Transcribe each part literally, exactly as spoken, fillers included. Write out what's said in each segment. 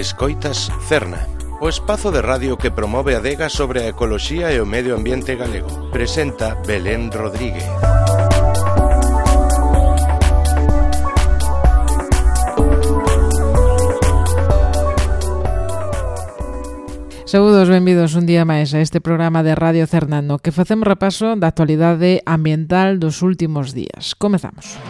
Escoitas Cerna, o espazo de radio que promove a adega sobre a ecoloxía e o medio ambiente galego. Presenta Belén Rodríguez. Saúdos, benvidos un día máis a este programa de Radio Cerna no que facemos repaso da actualidade ambiental dos últimos días. Comezamos.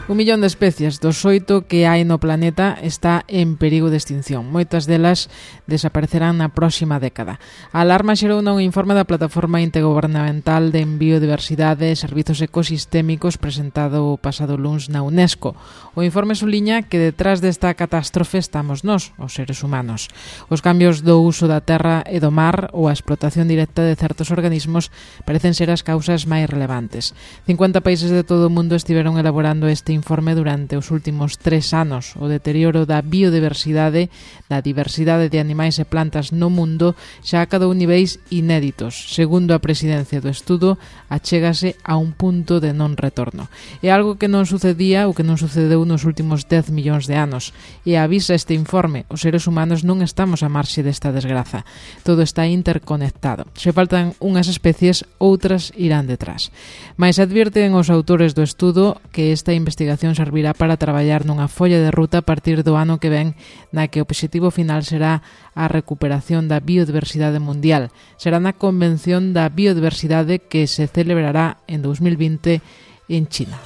Un millón de especies dos oito que hai no planeta está en perigo de extinción. Moitas delas desaparecerán na próxima década. A alarma xerou un informe da Plataforma Intergobernamental de Biodiversidade e Servizos Ecosistémicos presentado o pasado luns na UNESCO. O informe suliña que detrás desta catástrofe estamos nós, os seres humanos. Os cambios do uso da terra e do mar ou a explotación directa de certos organismos parecen ser as causas máis relevantes. cincuenta países de todo o mundo estiveron elaborando este informe durante os últimos tres anos. O deterioro da biodiversidade, da diversidade de animais e plantas no mundo xa acadou niveis inéditos. Segundo a presidencia do estudo, achégase a un punto de non retorno. É algo que non sucedía ou que non sucedeu nos últimos dez millóns de anos. E avisa este informe, os seres humanos non estamos a marxe desta desgraza. Todo está interconectado. Se faltan unhas especies, outras irán detrás. Mais advirten os autores do estudo que esta investigación servirá para traballar nunha folla de ruta a partir do ano que ven, na que o obxectivo final será a recuperación da biodiversidade mundial. Será na Convención da Biodiversidade que se celebrará en dous mil vinte en China.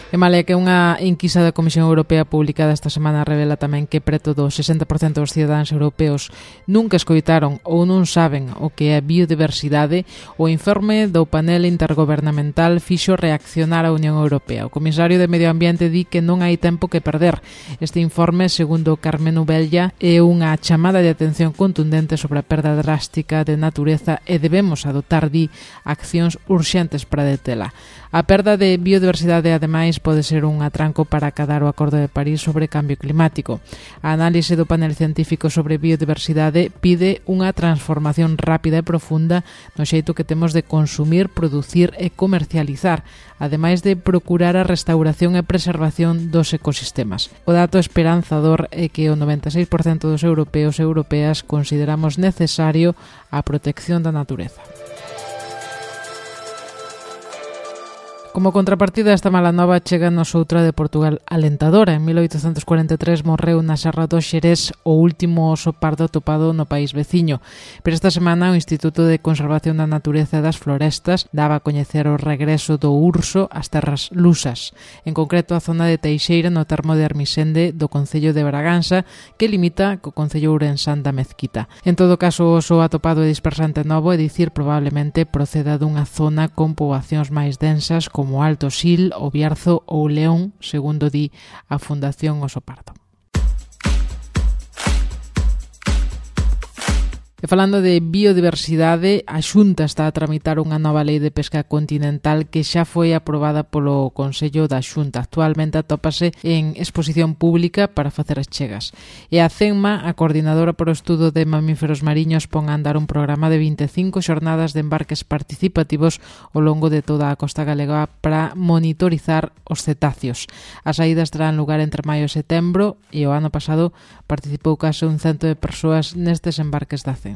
E malia que unha enquisa da Comisión Europea publicada esta semana revela tamén que preto do sesenta por cento dos cidadáns europeos nunca escoitaron ou non saben o que é biodiversidade, o informe do panel intergobernamental fixo reaccionar a Unión Europea. O comisario de Medio Ambiente di que non hai tempo que perder. Este informe, segundo Carmen Ubella, é unha chamada de atención contundente sobre a perda drástica de natureza e debemos adoptar, di, accións urxentes para detela. A perda de biodiversidade, ademais, pode ser un atranco para acadar o Acordo de París sobre cambio climático. A análise do panel científico sobre biodiversidade pide unha transformación rápida e profunda no xeito que temos de consumir, producir e comercializar, ademais de procurar a restauración e preservación dos ecosistemas. O dato esperanzador é que o noventa e seis por cento dos europeos e europeas consideramos necesario a protección da natureza. Como contrapartida esta mala nova cheganos outra de Portugal alentadora. En mil oitocentos cuarenta e tres morreu na Serra do Xerés o último oso pardo atopado no país veciño. Pero esta semana o Instituto de Conservación da Natureza e das Florestas daba a coñecer o regreso do urso ás terras lusas, en concreto a zona de Teixeira no termo de Armisende do concello de Braganza, que limita co concello ourensán da Mezquita. En todo caso, o oso atopado e dispersante novo, é dicir, probablemente proceda dunha zona con poboacións máis densas como como Alto Sil, o Bierzo ou León, segundo di a Fundación Oso Pardo. E falando de biodiversidade, a Xunta está a tramitar unha nova lei de pesca continental que xa foi aprobada polo Consello da Xunta. Actualmente atópase en exposición pública para facer as chegas. E a CENMA, a coordinadora para o estudo de mamíferos mariños, pon a andar un programa de vinte e cinco xornadas de embarques participativos ao longo de toda a costa galega para monitorizar os cetáceos. As saídas terán lugar entre maio e setembro e o ano pasado participou case un cento de persoas nestes embarques da CENMA.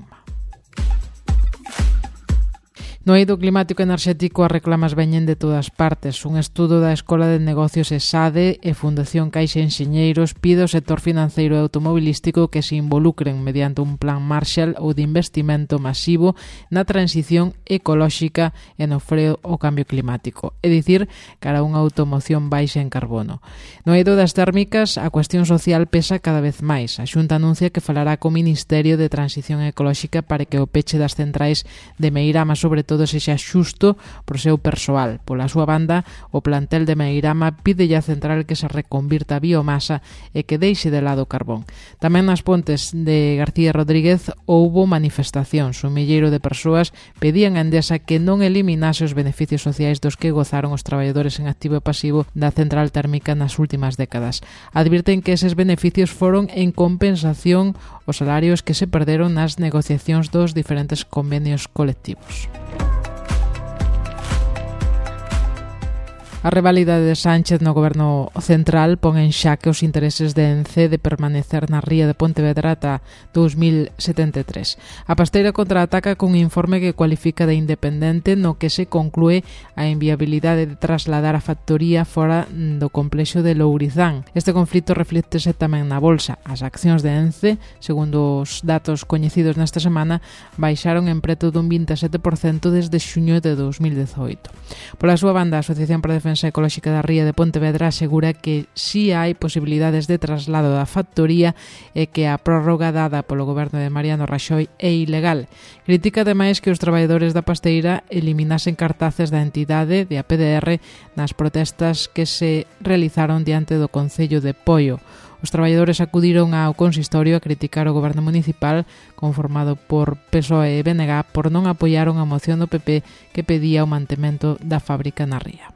No eido climático e enerxético as reclamas veñen de todas partes. Un estudo da Escola de Negocios ESADE e Fundación Caixa Enxeñeiros pide ao sector financeiro e automobilístico que se involucren mediante un plan Marshall ou de investimento masivo na transición ecolóxica e no freo ao cambio climático, é dicir, cara a unha automoción baixa en carbono. No eido das térmicas, a cuestión social pesa cada vez máis. A Xunta anuncia que falará co Ministerio de Transición Ecolóxica para que o peche das centrais de Meirama, sobre todo sexa xusto por seu persoal. Pola súa banda, o plantel de Meirama pídelle a central que se reconvirta a biomasa e que deixe de lado o carbón. Tamén nas Pontes de García Rodríguez houbo manifestacións. Un milleiro de persoas pedían a Endesa que non eliminase os beneficios sociais dos que gozaron os traballadores en activo e pasivo da central térmica nas últimas décadas. Advirten que eses beneficios foron en compensación os salarios que se perderon nas negociacións dos diferentes convenios colectivos. A rivalidade de Sánchez no goberno central pon en xaque os intereses de Ence de permanecer na ría de Pontevedra ata dous mil setenta e tres. A Pasteira contraataca cun informe que cualifica de independente no que se conclúe a inviabilidade de trasladar a factoría fora do complexo de Lourizán. Este conflito reflíctese tamén na bolsa. As accións de Ence, segundo os datos coñecidos nesta semana, baixaron en preto dun vinte e sete por cento desde xuño de dous mil dezoito. Pola súa banda, a Asociación para a Defensa Ecolóxica da Ría de Pontevedra asegura que si hai posibilidades de traslado da factoría e que a prórroga dada polo goberno de Mariano Raxoi é ilegal. Critica ademais que os traballadores da Pasteira eliminasen cartaces da entidade de A P D R nas protestas que se realizaron diante do Concello de Poio. Os traballadores acudiron ao consistorio a criticar o goberno municipal conformado por P S O E e B N G por non apoiaron a moción do P P que pedía o mantemento da fábrica na ría.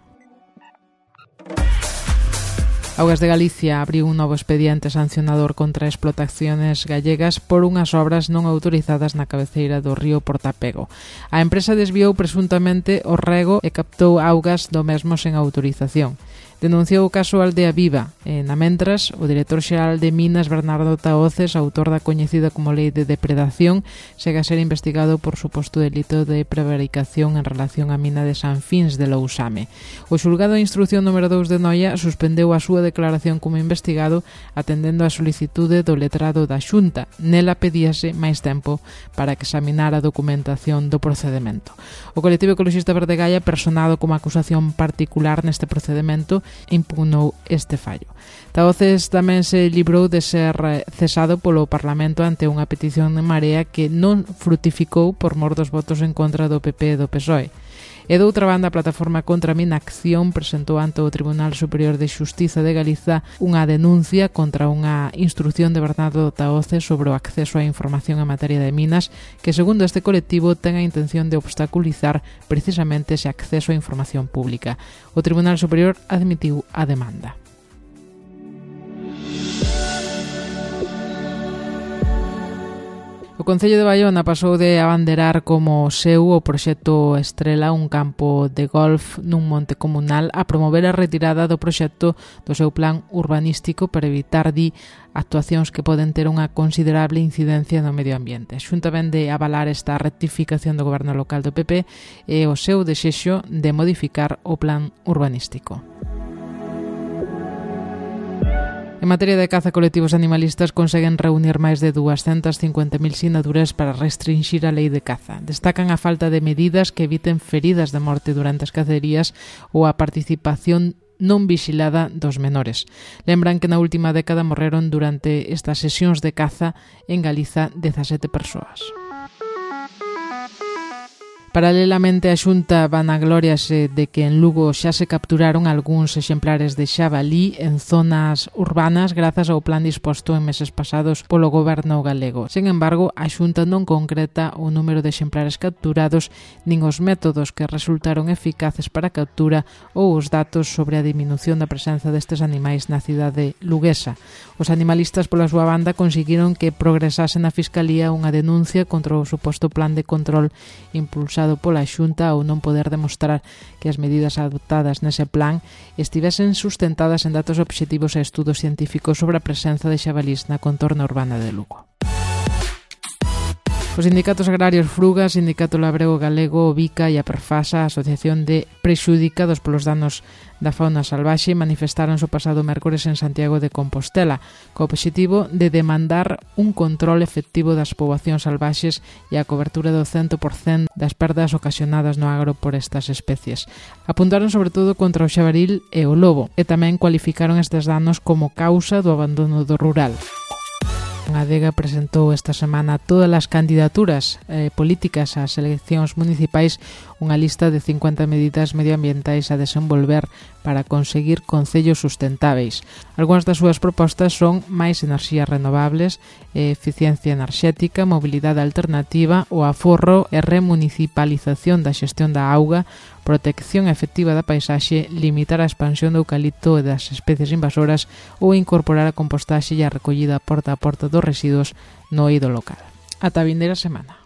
Augas de Galicia abriu un novo expediente sancionador contra explotaciones gallegas por unhas obras non autorizadas na cabeceira do río Portapego. A empresa desviou presuntamente o rego e captou augas do mesmo sen autorización. Denunciou o caso Aldea Viva e, na mentras, o director xeral de Minas, Bernardo Tahoces, autor da coñecida como Lei de Depredación, segue a ser investigado por suposto delito de prevaricación en relación á mina de San Fins de Lousame. O xulgado de instrucción número dous de Noia suspendeu a súa declaración como investigado atendendo a solicitude do letrado da Xunta. Nela pedíase máis tempo para que examinara a documentación do procedemento. O colectivo ecologista Verde Gaia, personado como acusación particular neste procedemento, impugnou este fallo. Tahoces tamén se librou de ser cesado polo Parlamento ante unha petición de Marea que non frutificou por mor dos votos en contra do P P e do P S O E. E doutra banda, a plataforma contra a Minacción presentou ante o Tribunal Superior de Xustiza de Galiza unha denuncia contra unha instrucción de Bernardo Tahoces sobre o acceso á información en materia de minas que, segundo este colectivo, ten a intención de obstaculizar precisamente ese acceso á información pública. O Tribunal Superior admitiu a demanda. O Concello de Baiona pasou de abanderar como seu o proxecto Estrela, un campo de golf nun monte comunal, a promover a retirada do proxecto do seu plan urbanístico para evitar, di, actuacións que poden ter unha considerable incidencia no medio ambiente. A Xunta vende avalar esta rectificación do goberno local do P P e o seu desexo de modificar o plan urbanístico. En materia de caza, colectivos animalistas conseguen reunir máis de duascentas cincuenta mil sinaturas para restringir a lei de caza. Destacan a falta de medidas que eviten feridas de morte durante as cacerías ou a participación non vixilada dos menores. Lembran que na última década morreron durante estas sesións de caza en Galiza dezasete persoas. Paralelamente, a Xunta vanaglóriase de que en Lugo xa se capturaron algúns exemplares de xabalí en zonas urbanas grazas ao plan disposto en meses pasados polo goberno galego. Sen embargo, a Xunta non concreta o número de exemplares capturados nin os métodos que resultaron eficaces para a captura ou os datos sobre a diminución da presenza destes animais na cidade luguesa. Os animalistas, pola súa banda, conseguiron que progresase na Fiscalía unha denuncia contra o suposto plan de control impulsado pola Xunta ao non poder demostrar que as medidas adoptadas nese plan estivesen sustentadas en datos obxectivos e estudos científicos sobre a presenza de xabalís na contorna urbana de Lugo. Os sindicatos agrarios Fruga, Sindicato Labrego Galego, o Bica e a Perfasa, a Asociación de Prexudicados polos danos da fauna salvaxe, manifestaron o pasado mércores en Santiago de Compostela, co obxectivo de demandar un control efectivo das poboacións salvaxes e a cobertura do cento por cento das perdas ocasionadas no agro por estas especies. Apuntaron sobre todo contra o xabaril e o lobo, e tamén cualificaron estes danos como causa do abandono do rural. A Adega presentou esta semana todas as candidaturas eh, políticas ás eleccións municipais unha lista de cincuenta medidas medioambientais a desenvolver para conseguir concellos sustentáveis. Algúnas das súas propostas son máis enerxías renovables, eficiencia enerxética, mobilidade alternativa, o aforro e remunicipalización da xestión da auga, protección efectiva da paisaxe, limitar a expansión do eucalipto e das especies invasoras ou incorporar a compostaxe e a recollida porta a porta dos residuos no eido local. Ata a vindeira semana.